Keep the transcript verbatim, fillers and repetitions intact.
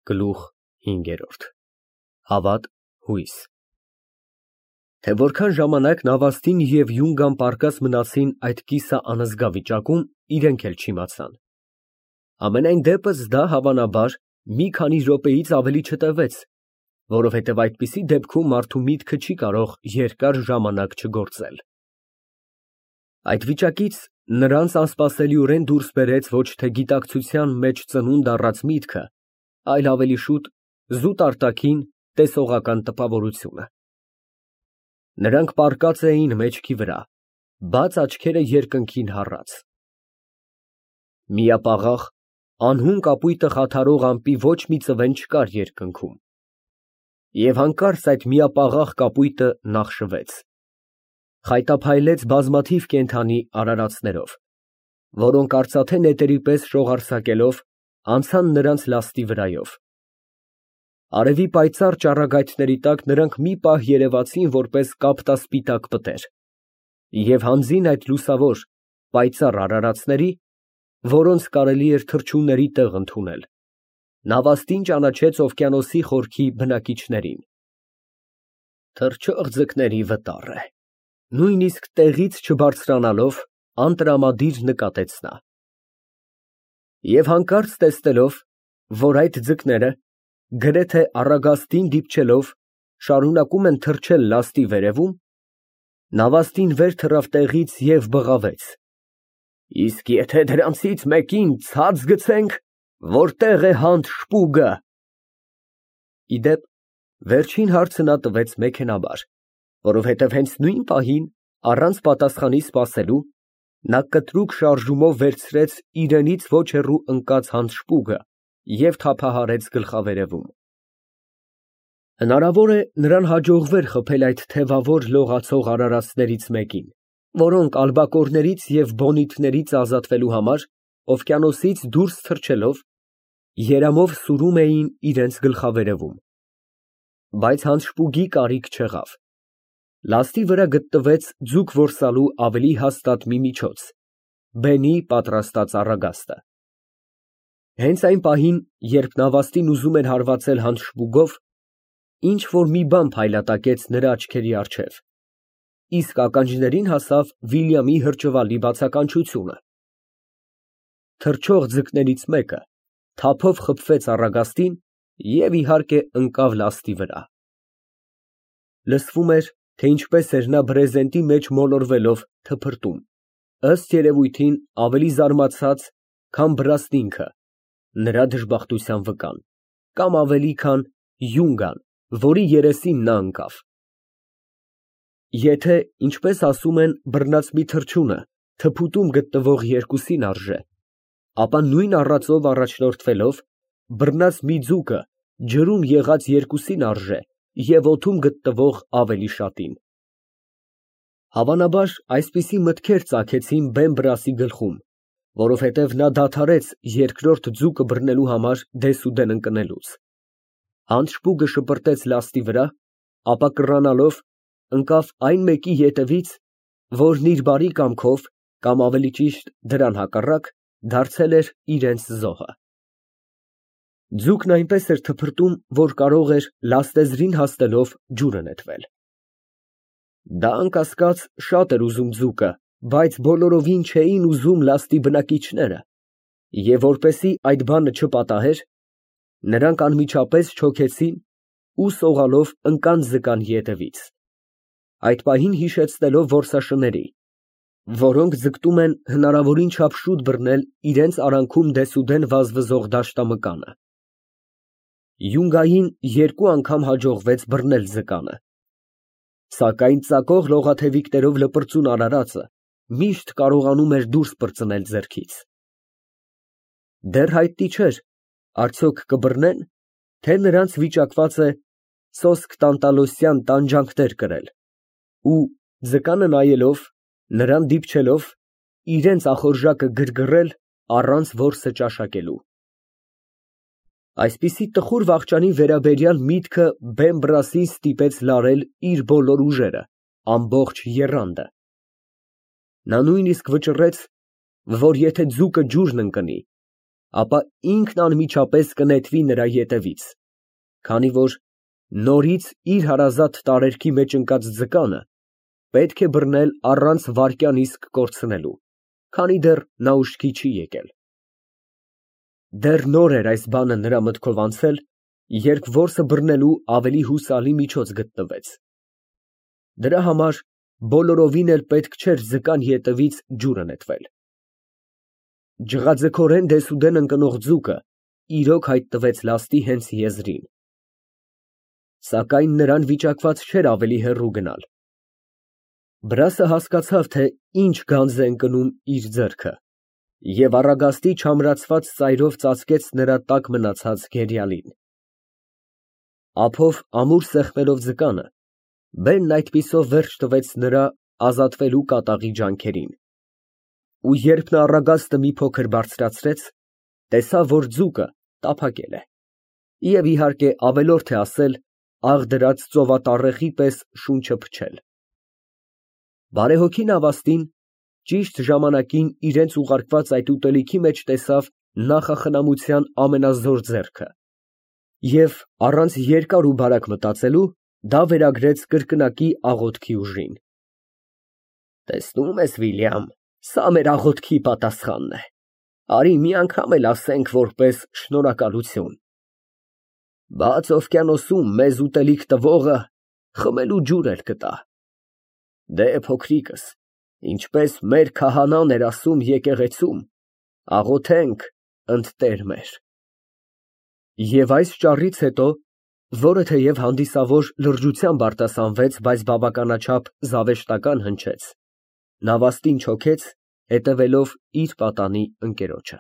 Գլուխ հինգերորդ Հավատ, հույս Թե որքան ժամանակ Նավաստին և Յունգան պառկած մնացին այդ կիսա անզգա վիճակում, իրենք էլ չիմացան, համենայն դեպս դա, հավանաբար, մի քանի րոպեից ավելի չտևեց, որովհետև այդպիսի դեպքում մարդու միտքը չի կարող երկար ժամանակ չգործել։ Այդ վիճակից նրանց անսպասելիորեն դուրս բերեց ոչ թե գիտակցության մեջ ծնունդ առած միտքը, այլ ավելի շուտ զուտ արտաքին տեսողական տպավորությունը։ Նրանք պառկած էին մեջքի վրա, բաց աչքերը երկնքին հառած։ Միապաղաղ, անհուն կապույտը խաթարող ամպի ոչ մի ծվեն չկար երկնքում, և հանկարծ այդ միապաղաղ կապույտը նախշվեց, խայտափայլեց բազմաթիվ կենդանի արարածներով, որոնք արծաթե նետերի պես շողարսակելով անցան նրանց լաստի վրայով։ Արևի պայծառ ճառագայթների տակ նրանք մի պահ երևացին որպես կապտասպիտակ պտեր, և հանձին այդ լուսավոր, պայծառ արարածների, որոնց կարելի էր թռչունների տեղ ընդունել, Նավաստին ճանաչեց օվկիանոսի խորքի բնակիչներին։ Թռչող ձկների վտառ է, նույնիսկ տեղից չբարձրանալով, անտրամադիր նկատեց նա։ Եվ հանկարծ տեսնելով, որ այդ ձկները, գրեթե առագաստին դիպչելով, շարունակում են թռչել լաստի վերևում, Նավաստին վեր թռավ տեղից և բղավեց. Իսկ եթե դրանցից մեկին ցած գցենք, որտե՞ղ է հանդ շպուգը։ Ի դեպ, վերջին հարցը նա տվեց մեքենաբար, որովհետև հենց նույն պահին, առանց պատասխանի սպասելու, նա կտրուկ շարժումով վերցրեց իրենից ոչ հեռու ընկած հանդ շպուգը և թափահարեց գլխավերևում։ Հնարավոր է, նրան հաջողվեր խփել այդ թևավոր լողացող արարածներից մեկին, որոնք ալբակորներից և բոնիտներից ազատվելու համար օվկիանոսից դուրս թռչելով, երամով սուրում էին իրենց գլխավերևում, բայց հանդ շպուգի կարիք չեղավ։ Լաստի վրա գտնվեց ձուկ որսալու ավելի հաստատ մի միջոց՝ բենի պատրաստած առագաստը։ Հենց այն պահին, երբ Նավաստին ուզում էր հարվածել հանդ շպուգով, ինչ֊որ մի բան փայլատակեց նրա աչքերի առջև, իսկ ականջներին հասավ Վիլյամի հրճվալի բացականչությունը։ Թռչող ձկներից մեկը թափով խփվեց առագաստին և, իհարկե, ընկավ լաստի վրա։ Լսվում էր, թե ինչպես էր նա բրեզենտի մեջ մոլորվելով թփրտում, ըստ երևույթին ավելի զարմացած, քան Բրաստինգը, նրա դժբախտության վկան, կամ ավելի, քան Յունգան, որի երեսին նա ընկավ։ Եթե, ինչպես ասում են, բռնած մի թռչունը թփուտում գտնվող երկուսին արժե, ապա նույն առածով առաջնորդվելով, բռնած մի ձուկը ջրում եղած երկուսին արժե և օդում գտնվող ավելի շատին։ Հավանաբար, այսպիսի մտքեր ծագեցին Բեն֊Բրասի գլխում, որովհետև նա դադարեց երկրորդ ձուկը բռնելու համար դեսուդեն ընկնելուց։ Հանդ շպուգը շպրտեց լաստի վրա, ապա կռանալով, ընկավ այն մեկի ետևից, որն իր բարի կամքով, կամ ավելի ճիշտ դրան հակառակ, դարձել էր իրենց զոհը։ Ձուկն այնպես էր թփրտում, որ կարող էր լաստեզրին հասնելով ջուրը նետվել։ Դա, անկասկած, շատ էր ուզում ձուկը, բայց բոլորովին չէին ուզում լաստի բնակիչները, և որպեսզի այդ բանը չպատահեր, նրանք անմիջապես չոքեցին ու սողալով ընկան ձկան ետևից, այդ պահին հիշեցնելով որսաշների, որոնք ձգտում են հնարավորին չափ շուտ բռնել իրենց արանքում դեսուդեն վազվզող դաշտամկանը։ Յունգային երկու անգամ հաջողվեց բռնել ձկանը, սակայն ծակող լողաթևիկներով լպրծուն արարածը միշտ կարողանում էր դուրս պրծնել ձեռքից։ Դեռ հայտնի չէր, արդյոք կբռնեն, թե նրանց վիճակված է սոսկ տանտալոսյան տանջանքներ կրել ու, ձկանը նայելով, նրան դիպչելով, իրենց ախորժակը գրգռել առանց որսը ճաշակելու։ Այսպիսի տխուր վախճանի վերաբերյալ միտքը Բեն֊Բրասին ստիպեց լարել իր բոլոր ուժերը, ամբողջ եռանդը։ Նա նույնիսկ վճռեց, որ եթե ձուկը ջուրն ընկնի, ապա ինքն անմիջապես կնետվի նրա ետևից, քանի որ նորից իր հարազատ տարերքի մեջ ընկած ձկանը պետք է բռնել առանց վայրկյան իսկ կորցնելու, քանի դեռ նա ուշքի չի եկել։ Դեռ նոր էր այս բանը նրա մտքով անցել, երբ որսը բռնելու ավելի հուսալի միջոց գտնվեց։ Դրա համար բոլորովին էլ պետք չէր ձկան ետևից ջուրը նետվել։ Ջղաձգորեն դեսուդեն ընկնող ձուկը իրոք հայտնվեց լաստի հենց եզրին։ Սակայն նրան վիճակված չէր ավելի հեռու գնալ։ Վրասը հասկացավ, թե ինչ գանձ է ընկնում իր ձեռքը, և առագաստի չամրացված ծայրով ծածկեց նրա տակ մնացած գերիալին։ Ափով ամուր սեղմելով ձկանը, բենն այդպիսով վերջ տվեց նրա ազատվելու կատաղի ջանքերին, ու երբ նա առագաստը մի փոքր բարձրացրեց, տեսավ, որ ձուկը տափակել է, և իհարկե ավելորդ է ասել, աղ դրած ծովատառեխի պես շունչը փչել։ Բարեհոգի նավաստին ճիշտ ժամանակին իրենց ուղարկված այդ ուտելիքի մեջ տեսավ նախախնամության ամենազոր ձեռքը և առանց երկար ու բարակ մտածելու, դա վերագրեց կրկնակի աղոթքի ուժին։ Տեսնում ես, Վիլյամ, սա մեր աղոթքի պատասխանն է, արի մի անգամ էլ ասենք որպես շնորհակալություն։ Բաց օվկիանոսում մեզ ուտելիք տվողը խմելու ջուր էլ կտա։ Դե փոքրիկս, ինչպես մեր քահանան էր ասում եկեղեցում, աղոթենք, ընդ Տեր մեր։ Եվ այս ճառից հետո, որը թեև հանդիսավոր լրջությամբ արտասանվեց, բայց բավականաչափ զավեշտական հնչեց, նավաստին չոքեց, հետևելով իր պատանի ընկերոջը։